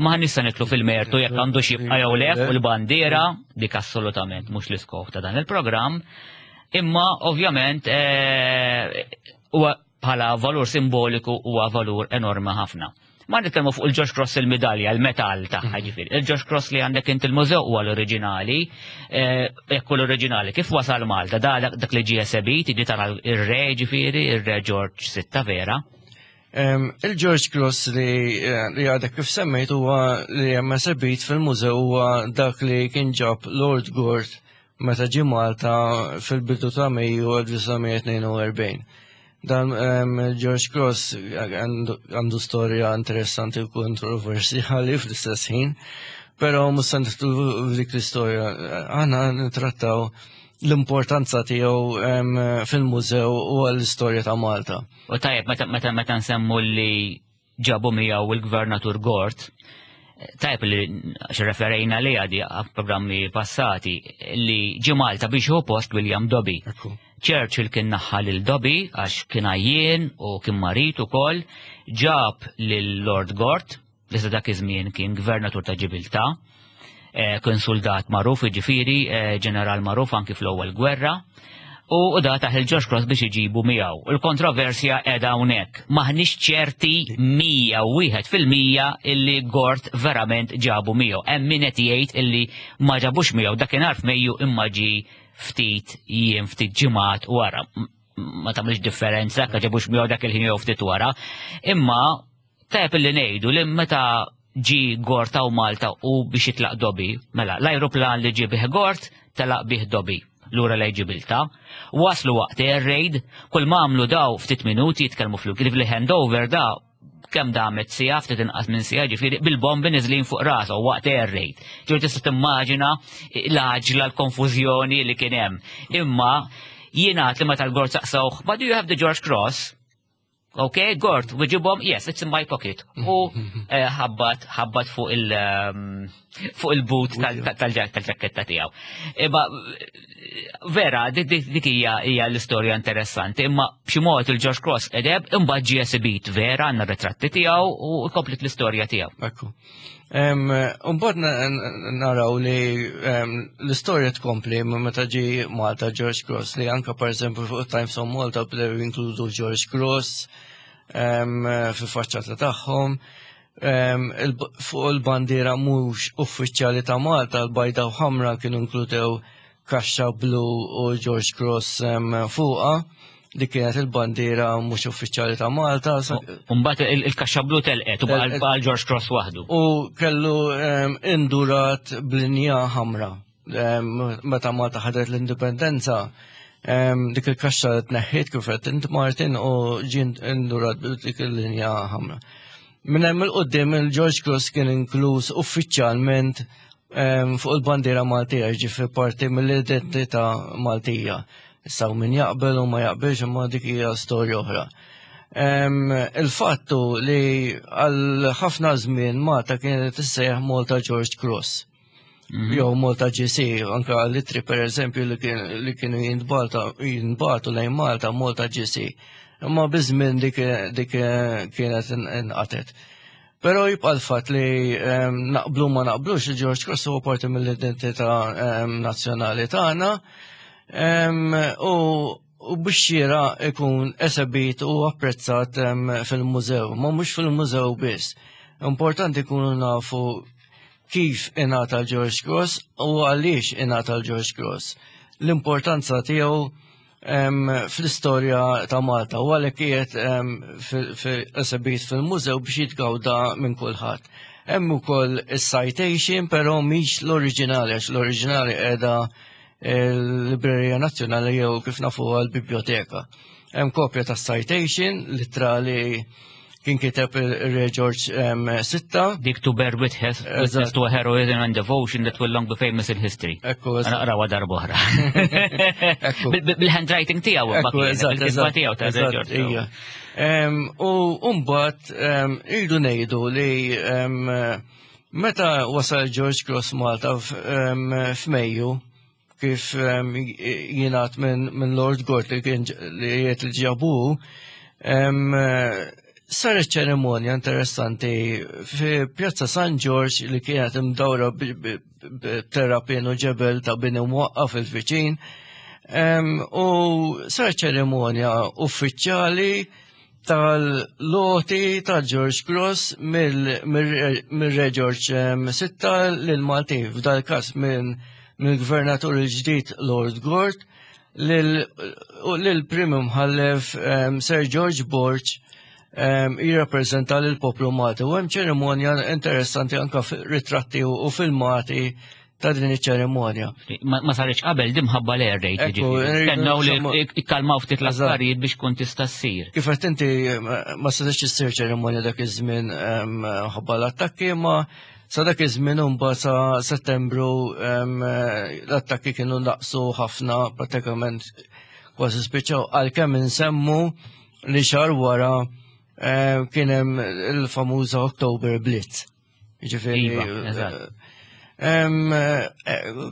[SPEAKER 1] Ma nista' nitlu fil-mertu jekk għandu xibqa jew le fuq il-bandiera, dik assolutament mhux l-iskop ta' dan il-programm. Imma ovvjament eh, huwa bħala valur simboliku huwa valur enormi ħafna. Ma nitkellmu fuq il-George Cross il-medalja, il-metall tagħha mhm. ġifieri. Il-George Cross li għandek int il-mużew huwa l-oriġinali, eh, jekk l-oriġinali kif wasal Malta, da dak li ġie esebit, jiġi tara ir-re ġifieri, ir-re George Sitta vera.
[SPEAKER 2] Il-George Cross li eh, li għadek kif semmejt huwa li hemm esebit fil-mużew huwa dak li kien ġab Lord Gort meta ġie Malta fil-bidu ta' Mejju 1942. Dan George Cross għandu storja interessanti u kontroversjali fl-istess ħin, però mhux se nidħlu f'dik l-istorja. Aħna nittrattaw l-importanza tiegħu fil-mużew u għall-istorja ta' Malta.
[SPEAKER 1] U tajjeb meta meta nsemmu li ġabu miegħu il-Gvernatur Gort, tajb li referejna li għadi programmi passati li ġi Malta biex hu post William Dobby. Churchill kien naħħa lil Dobby għax kien għajjien u kien marit ukoll, ġab lil Lord Gort, li sa dak iż-żmien kien gvernatur ta' Ġibilta, eh, kien soldat magħruf jiġifieri, eh, ġeneral magħruf anki fl-ewwel gwerra, u da taħ il-George Cross biex iġibu miegħu. Il-kontroversja qiegħda hawnhekk. Maħniex ċerti 101% illi Gort verament ġabu miegħu. Hemm min qed jgħid illi ma ġabux miegħu dakinhar f'Mejju imma ġi ftit jiem ftit ġimgħat wara. Ma tagħmilx differenza ka ġabux miegħu dak il-ħin jew ftit wara. Imma Tajjeb illi ngħidu li meta ġi Gort hawn Malta u biex jitlaq Dobby, mela l-ajruplan li ġie bih Gort telaq bih Dobby lura lejn Ġibiltà. Waslu waqt air raid, kull ma għamlu daw ftit minuti jitkellmu fl li handover da kemm damet sija, ftit inqas minn sija, ġifieri bil-bombi niżlin fuq rasu waqt air raid. Ġifieri tista' timmaġina l-għaġla l-konfużjoni li kien hemm. Imma jingħad li meta l-Gort saqsawh, but do you have the George Cross? Ok, Gort, weġibhom, yes, it's in my pocket. U eh, ħabbat, ħabbat fuq il- ehm, fuq il-boot tal-ġakketta tiegħu. Imma vera, dik hija hija l-istorja interessanti, imma b'xi mod il-George Cross edeb imbagħad ġie esibit vera għandna ritratti tiegħu u komplet l-istorja tiegħu.
[SPEAKER 2] Ekku. Umbad naraw li l-istorja tkompli meta ġi Malta George Cross li anka per eżempju fuq Times of Malta bdew jinkludu George Cross fil-faċċata tagħhom. Fuq il-bandiera mhux uffiċjali ta' Malta l-bajda u ħamra kienu inkludew kaxxa blu u George Cross fuqha li kienet il-bandiera mhux uffiċjali ta' Malta.
[SPEAKER 1] Mbagħad il-kaxxa blu telqet u baqa' George Cross waħdu.
[SPEAKER 2] U kellu indurat b'linja ħamra. Meta Malta ħadet l-indipendenza, dik il-kaxxa tneħħiet kif qed int Martin u ġie indurat dik il-linja ħamra. Minn hemm il-qudiem il-George Cross kien inkluż uffiċjalment fuq il-bandiera Maltija, ġifi parti mill-identità Maltija. Issa min jaqbel u ma jaqbilx imma dik hija storja oħra. Il-fattu li għal ħafna żmien Malta kienet tissejjaħ Malta George Cross. Mhm. Jew Malta GC, anka l-itri per eżempju li kienu jintbatu lejn Malta, Malta GC. Imma biż-żmien dik kienet inqatet. Però jibqa' l-fatt li ehm, naqblu ma naqblux li George Cross huwa parti mill-identità ehm, nazzjonali tagħna ehm, u u biex xira ikun esebit u apprezzat fil-mużew, ma mhux fil-mużew biss. Importanti kunu nafu kif ingħata l-George Cross u għaliex ingħata l-George Cross. L-importanza tiegħu fl-istorja ta' Malta u għalhekk qiegħed esebit fil-mużew biex jitgawda minn kulħadd. Hemm ukoll is-citation però mhix l-oriġinali għax l-oriġinali qiegħda l-Librerija Nazzjonali jew kif nafu l-Biblioteka. Hemm kopja ta' citation littra li kien kiteb il-Re George sitta.
[SPEAKER 1] Dik to bear witness, witness to a heroism and devotion that will long be famous in history.
[SPEAKER 2] Ekku,
[SPEAKER 1] Naqrawa darba oħra. Bil-handwriting tiegħu, bil-kitba tiegħu ta' Re George.
[SPEAKER 2] U mbagħad irdu ngħidu li Meta wasal George Cross Malta f'Mejju, kif jingħad minn Lord Gort li kien li jgħid li ġabu, saret ċerimonja interessanti fi Pjazza San George li kienet imdawra b'terrapien u ġebel ta' bini mwaqqa fil-viċin. U saret ċerimonja uffiċjali tal-loti ta' George Cross mill-Re George VI lil Maltin, f'dal każ minn mill-gvernatur il-ġdid Lord Gort lil-prim imħallef Sir George Borg jirrappreżenta lill-poplu Malti. U hemm ċerimonja interessanti anka ritratti u filmati ta' din iċ-ċerimonja.
[SPEAKER 1] Ma saritx qabel din minħabba l-air raid, jiġifieri. Stennew li ikkalmaw ftit l-affarijiet biex kun tista' ssir.
[SPEAKER 2] Kif qed inti, ma setax issir ċerimonja dak iż-żmien ħabba l-attakki, ma sa dak iż-żmien imbagħad sa Settembru l-attakki kienu naqsu ħafna, pratikament kważi spiċċaw, għalkemm insemmu li xahar wara kien hemm il-famuża October Blitz. Ġifieri.
[SPEAKER 1] Iva, eżatt.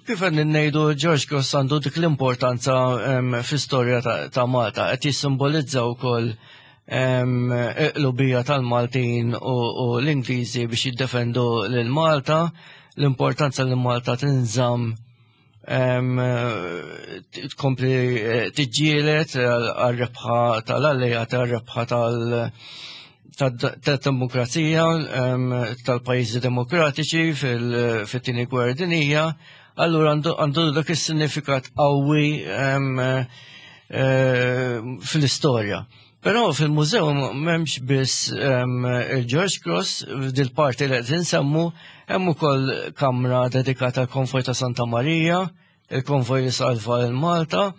[SPEAKER 2] Kif qed ngħidu, George Cross għandu dik l-importanza fl-istorja ta' Malta, qed jissimbolizza wkoll il-qlubija tal-Maltin u l-Ingliżi biex jiddefendu lil Malta, l-importanza li Malta tinżamm tkompli tiġġielet għal-rebħa tal-alleati, għal-rebħa tal-demokrazija, tal-pajjiżi demokratiċi fil-tieni gwerra dinjija, allura għandu dak is-sinifikat qawwi fil-istorja. Però fil-mużew m'hemmx biss il-George Cross, dil-parti li qed insemmu, hemm ukoll kamra dedikata għal konvoj ta' Santa Marija, il-konvoj li salva lil Malta,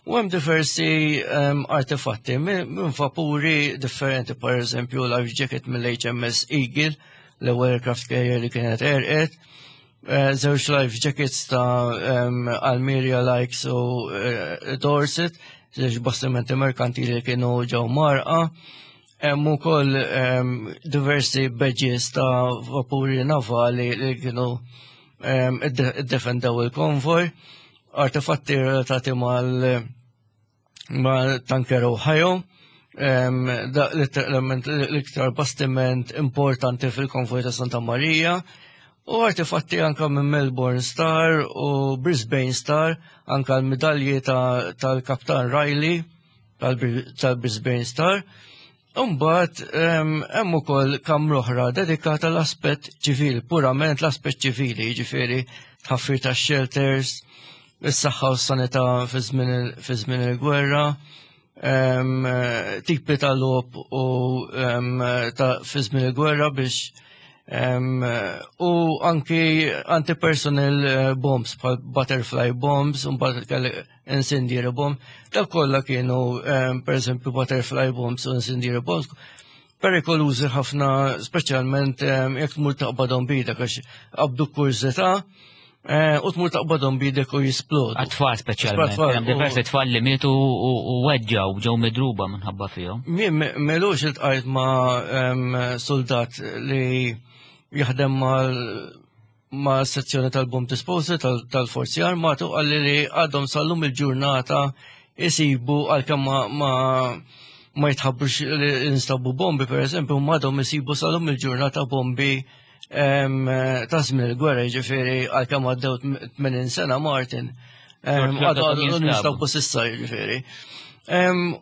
[SPEAKER 2] u hemm diversi artefatti minn vapuri differenti, per eżempju life jacket mill-HMS Eagle, l-ewwel aircraft carrier li kienet għerqet, żewġ life jackets ta' Almeria, Lykes u Dorset, żewġ bastimenti merkantili li kienu ġew mgħarrqa. Hemm ukoll diversi badges ta' vapuri navali li kienu iddefendew il-konvoj, artefatti relatati mal tanker Ohio, da letteralment l-iktar bastiment importanti fil-konvoj ta' Santa Maria, u artefatti anka minn Melbourne Star u Brisbane Star, anka l-medalji tal-Kaptan Riley tal-Brisbane Star. Imbagħad hemm ukoll kamra oħra dedikata l-aspett ċivili, purament l-aspett ċivili, jiġifieri tħaffir ta' shelters, is-saħħa u s-sanità fi żmien il-gwerra, tipi ta' logħob u ta' fi żmien il-gwerra biex u anki anti-personnel bombs bħal butterfly bombs, u mbagħad kellek incendiary bomb, dak kollha kienu per eżempju butterfly bombs u incendiary bombs perikolużi ħafna, speċjalment jekk tmur taqbadhom bidek, għax qabdu kurżità u tmur taqbadhom bidek u jisplodu.
[SPEAKER 1] Għat-tfal speċjalment.
[SPEAKER 2] Għat-tfal,
[SPEAKER 1] Hemm diversi tfal li mietu u weġġaw, ġew midruba minħabba fihom.
[SPEAKER 2] Mien m'ilux iltqajt ma' soldat li jaħdem ma' sezzjoni tal-bomb disposal tal-Forzi Armati u qalli li għadhom sal-lum il-ġurnata jisibu, għalkemm ma jitħabbrux li instabu bombi, per eżempju, ma għadhom jisibu sal-lum il-ġurnata bombi ta' żmien il-gwerra, jiġifieri għalkemm għaddew 80 sena, Martin,
[SPEAKER 1] Xorta
[SPEAKER 2] għadhom
[SPEAKER 1] jinstabu.
[SPEAKER 2] jinstabu s'issa, jiġifieri.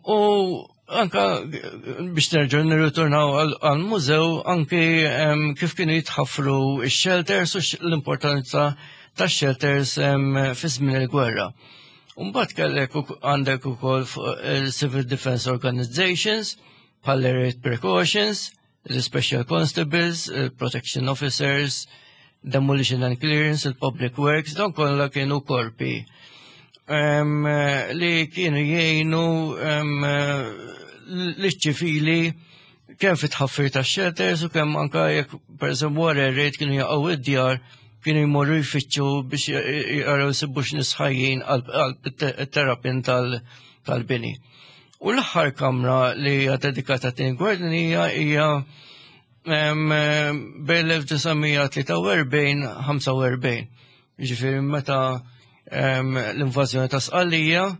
[SPEAKER 2] U anka biex nerġgħu nirritornaw għal-mużew, anki kif kienu jitħaffru x-shelters u l-importanza tax-shelters fi żmien il-gwerra. Mbagħad kellek għandek ukoll fuq il-Civil Defense Organizations, bħal Raid Precautions, il-Special Constables, il-Protection Officers, Demolition and Clearance, il-Public Works, dawn kollha kienu korpi li kienu jgħinu l-ċivili kemm fit tħaffir ta' shelters u kemm anka jekk per eżempju wara raid kienu jaqgħu id-djar, kienu jmorru jfittxu biex jaraw jsibux nies ħajjin għal terrapien tal-bini. U l-aħħar kamra li hija dedikata tin Gwerra Dinjija hija bejn l-1943-45. Ġifieri meta l-invażjoni ta' Sqallija,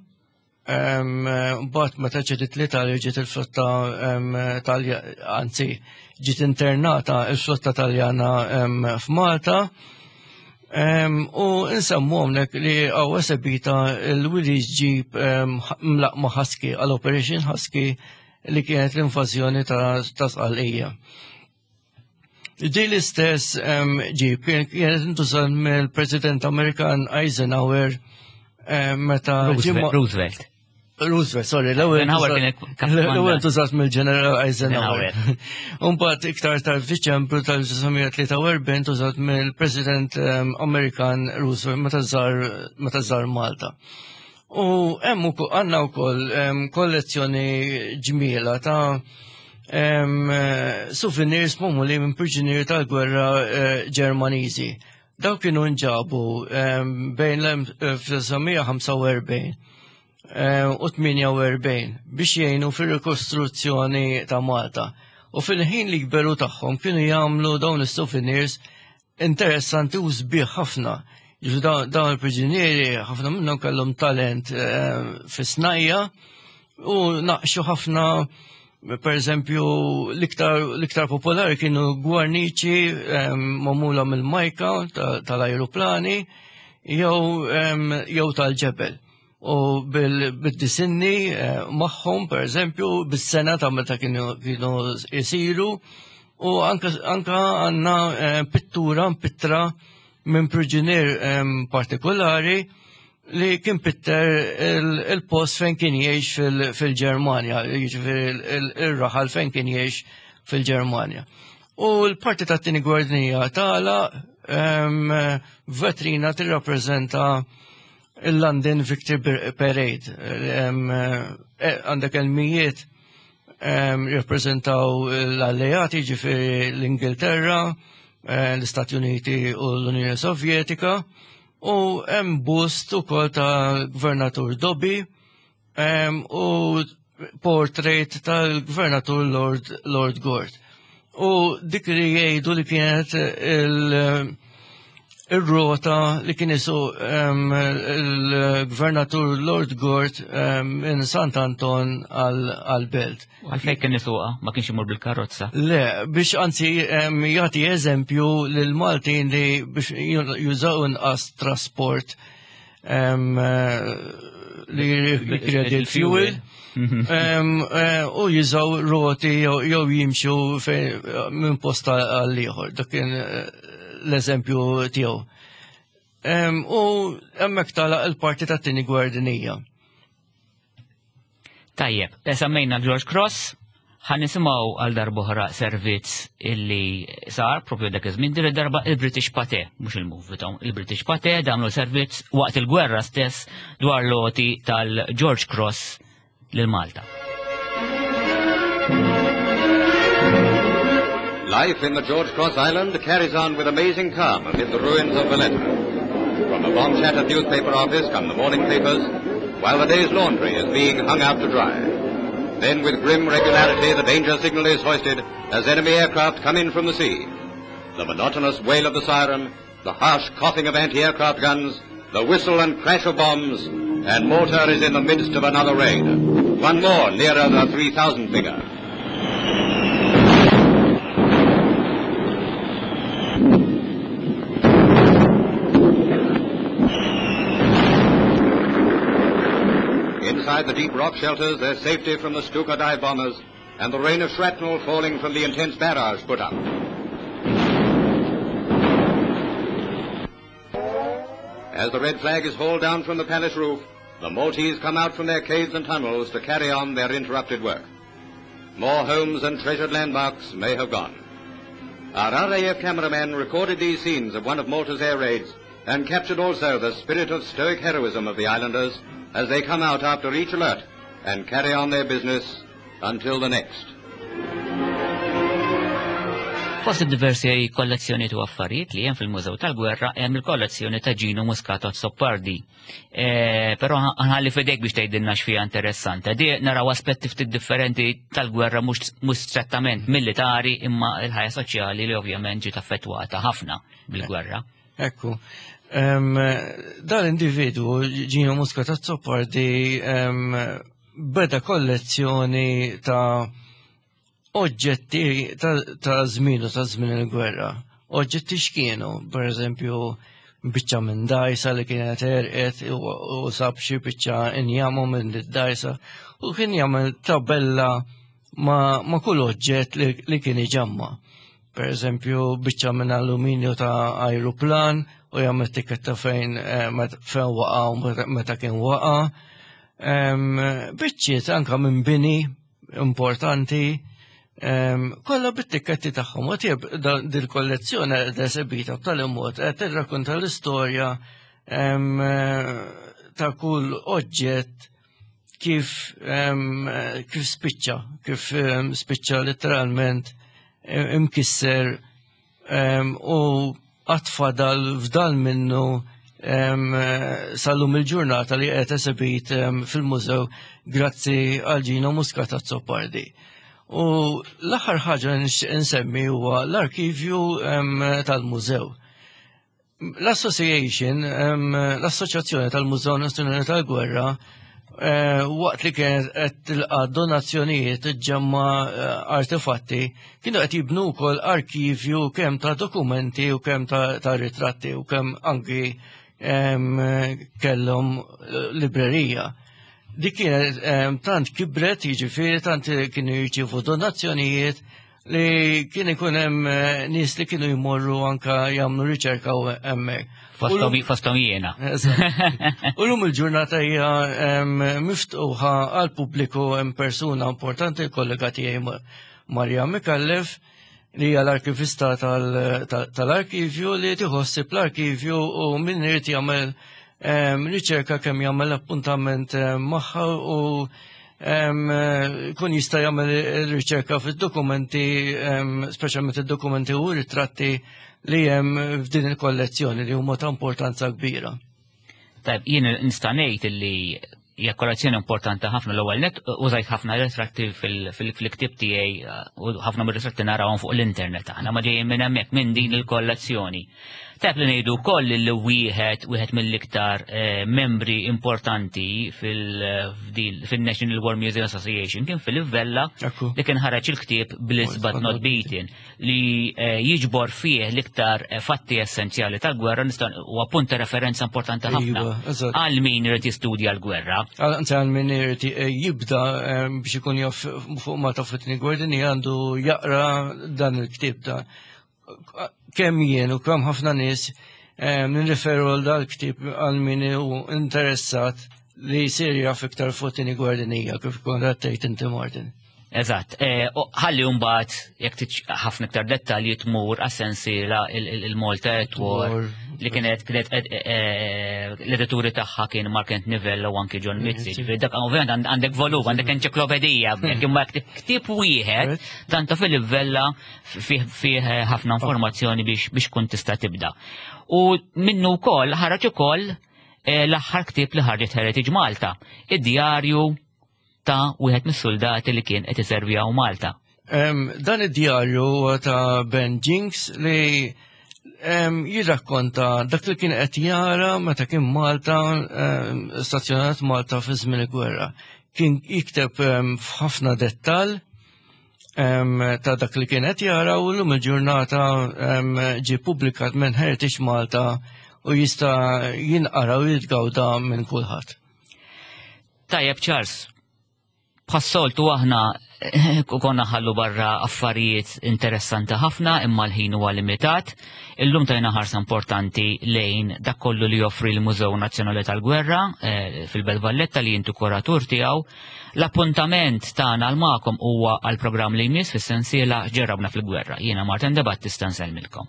[SPEAKER 2] mbagħad meta ġiet l-Italja ġiet il-flotta Talja, anzi ġiet internata il-flotta Taljana f'Malta. U nsemmu hawnhekk li hawn esebita l-Willys Jeep mlaqma Husky għal Operation Husky li kienet l-invażjoni ta' Sqallija. Di l-istess ġib kienet intużat mill-President Amerikan Eisenhower meta
[SPEAKER 1] Roosevelt.
[SPEAKER 2] Roosevelt, sorry, l-ewwel intużat mill-Ġeneral Eisenhower. Umbagħad iktar tard f'Diċembru tal-1943 intużat mill-President Amerikan Roosevelt meta żar Malta. U hemm ukoll għandna wkoll kollezzjoni ġmiela ta' souvenirs magħmulin minn priġunieri tal-gwerra eh, Ġermaniżi. Dawk kienu nġabu bejn l-1945 eh, u 48 biex jgħinu fir-rikostruzzjoni ta' Malta. U fil-ħin li kberu tagħhom kienu jagħmlu dawn is-souvenirs interessanti u sbieħ ħafna. Ġifieri dawn il-priġunieri ħafna minnhom kellhom talent eh, fis-snajja u naqxu ħafna per eżempju l-iktar popolari kienu gwarniċi eh, magħmula mill-majka tal-ajruplani eh, jew tal-ġebel. U bil-disinni magħhom, per eżempju, bis-sena ta' meta kienu jisiru, u anka għandna eh, pittura pittra minn priġunier partikolari li kien pitter il-post fejn kien jgħix fil-Ġermanja, jiġifieri il-raħal fejn kien jgħix fil-Ġermanja. U l-parti tat-tieni gwardnija tala vetrina tirrappreżenta il-London Victory Parade. Eh, għandek il-mijiet jirrappreżentaw l-alleati ġifieri l-Ingilterra, eh, l-Istati Uniti u l-Unjoni Sovjetika u hemm bust ukoll ta' Gvernatur Dobby u portrait tal-Gvernatur Lord, Lord Gort. U dik li jgħidu li kienet il- ir-rota li kien isu il-gvernatur Lord Gort minn Sant Anton għal-belt.
[SPEAKER 1] Għalfejn kien isuqa, ma kienx imur bil-karozza?
[SPEAKER 2] Le, biex anzi jagħti eżempju lil Maltin li biex jużaw inqas trasport li jikredi l-fuel eh, u jużaw roti jew jimxu minn posta għal ieħor. Dak kien eh, l-eżempju tiegħu. U hemmhekk tagħlaq il-parti tat-tieni gwerra dinjija.
[SPEAKER 1] Tajjeb, eh, semmejna George Cross, ħan nisimgħu għal darbohra servizz illi sar propju dak iż-żmien din id-darba il-British Pate, mhux il-movie il-British Pate damlu servizz waqt il-gwerra stess dwar loti tal-George Cross lil Malta.
[SPEAKER 4] Life in the George Cross Island carries on with amazing calm amid the ruins of Valletta. From a bomb-shattered newspaper office come the morning papers, while the day's laundry is being hung out to dry. Then with grim regularity the danger signal is hoisted as enemy aircraft come in from the sea. The monotonous wail of the siren, the harsh coughing of anti-aircraft guns, the whistle and crash of bombs, and Malta is in the midst of another raid. One more nearer the 3,000 figure. Inside the deep rock shelters, there's safety from the Stuka dive bombers and the rain of shrapnel falling from the intense barrage put up. As the red flag is hauled down from the palace roof, the Maltese come out from their caves and tunnels to carry on their interrupted work. More homes and treasured landmarks may have gone. Our RAF cameraman recorded these scenes of one of Malta's air raids and captured also the spirit of stoic heroism of the islanders as they come out after each alert and carry on their business until the next.
[SPEAKER 1] Fost diversi kollezzjoni u affarijiet li hemm fil-Mużew tal-Gwerra hemm il-kollezzjoni ta' Gino Muscato Azzopardi. E, però ħalli fidejk biex tgħidilna x'fiha interessanti. Di naraw aspetti ftit differenti tal-gwerra mhux strettament militari imma l-ħajja soċjali li ovvjament ġiet affettwata ħafna bil-gwerra.
[SPEAKER 2] Ekku. Dan individwu Gino Muscat Azzopardi beda kollezzjoni ta' oġġetti ta' żmien u ta' żmien il-gwerra. Oġġetti x'kienu, per eżempju, biċċa minn dajsa li kienet erqet u sab xi biċċa injamu minn dajsa u kien jagħmel tabella ma, ma kull oġġett li, li kien iġamma. Per eżempju, biċċa minn alluminju ta' ajruplan u jagħmel tikketta fejn eh, fejn waqa' u meta kien waqa'. Biċċiet anka minn bini importanti kollha bit-tikketti tagħhom. U tieb dil-kollezzjoni qed esebita b'tali mod qed tirrakkonta l-istorja ta' kull oġġett kif kif spiċċa, kif spiċċa letteralment imkisser u għatfadal fdal minnu sal-lum il-ġurnata li qed esebit fil-mużew grazzi għal Gino Muscat Azzopardi. U l-aħħar ħaġa nixtieq insemmi huwa l-arkivju tal-mużew. L-Association, l-Assoċjazzjoni tal-Mużew Nazzjonali tal-Gwerra, eh, waqt li kienet qed tilqa' donazzjonijiet ġemma eh, artefatti, kienu qed jibnu wkoll arkivju kemm ta' dokumenti u kemm ta' ritratti u kemm anki kellhom eh, librerija. Dik kienet tant kibret, jiġifieri tant kienu jirċievu donazzjonijiet li kien ikun hemm eh, nies li kienu jmorru anka jagħmlu riċerka u hemmhekk.
[SPEAKER 1] Fosthom jiena.
[SPEAKER 2] U lum il-ġurnata hija miftuħa għal pubbliku hemm persuna importanti kollega tiegħi Marja Mikallef li hija l-arkivista tal-arkivju li tiħossib l-arkivju u min irid jagħmel riċerka kemm jagħmel appuntament magħha u kun jista' jagħmel riċerka fid-dokumenti, speċjalment id-dokumenti u ritratti li hemm f'din il-kollezzjoni li huma ta' importanza kbira.
[SPEAKER 1] Tajb, jien nista' ngħid li hija kollezzjoni importanti ħafna l-ewwel net użajt ħafna ritratti fil-ktieb tiegħi u ħafna mir-ritratti narawhom fuq l-internet aħna ma ġejjin minn hemmhekk minn din il-kollezzjoni. Tajb li ngħidu wkoll li wieħed wieħed mill-iktar eh, membri importanti fil-National War Museum Association kien Philip Vella li kien ħareġ il-ktieb Bliss but Not Beaten li eh, jiġbor fih l-iktar eh, fatti essenzjali tal-gwerra nista' huwa punt ta' referenza importanti ħafna iva, għal min irid jistudja l-gwerra.
[SPEAKER 2] Anzi għal min irid jibda biex ikun jaf fuq Malta fit-tieni gwerra għandu jaqra dan il-ktieb da kemm jien u kemm ħafna nies eh, nirriferu għal dal-ktib għal min hu interessat li jsir jaf iktar fuq tieni gwardinija kif kont tgħid inti Martin.
[SPEAKER 1] Eżatt, eh, ħalli mbagħad jekk ħafna iktar dettalji tmur għas-sensiela il-Malta at War li kienet kienet eh, eh, l-edituri tagħha kien Mark Anthony Vella u anki John Mizzi. Ġifieri dak ovvjament għandek volum, għandek enċiklopedija, imma ktieb wieħed dan ta' Philip Vella fih ħafna informazzjoni biex biex kun tista' tibda. U minnu wkoll ħareġ ukoll eh, l-aħħar ktieb li ħarġet Heritage Malta, id-djarju ta' wieħed mis-soldati li kien qed iservi hawn Malta.
[SPEAKER 2] Dan id-djarju huwa ta' Ben Jinks li jirrakkonta dak li kien qed jara meta kien Malta stazzjonat Malta fi żmien il-gwerra. Kien jikteb f'ħafna dettall ta' dak li kienet jara u l-lum il-ġurnata ġie publikat minn Heritage Malta u jista' jinqara u jitgawda minn kulħadd.
[SPEAKER 1] Tajjeb Charles, bħas-soltu aħna konna ħallu barra affarijiet interessanti ħafna imma l-ħin huwa limitat. Illum tajna ħarsa importanti lejn dak kollu li joffri l-Mużew Nazzjonali tal-Gwerra eh, fil-Belt Valletta li jintu kuratur tiegħu. L-appuntament tagħna għal magħkom huwa għall-programm li jmiss fis-sensiela Ġerrabna fil-Gwerra. Jiena Martin De Battista nsellmilkom.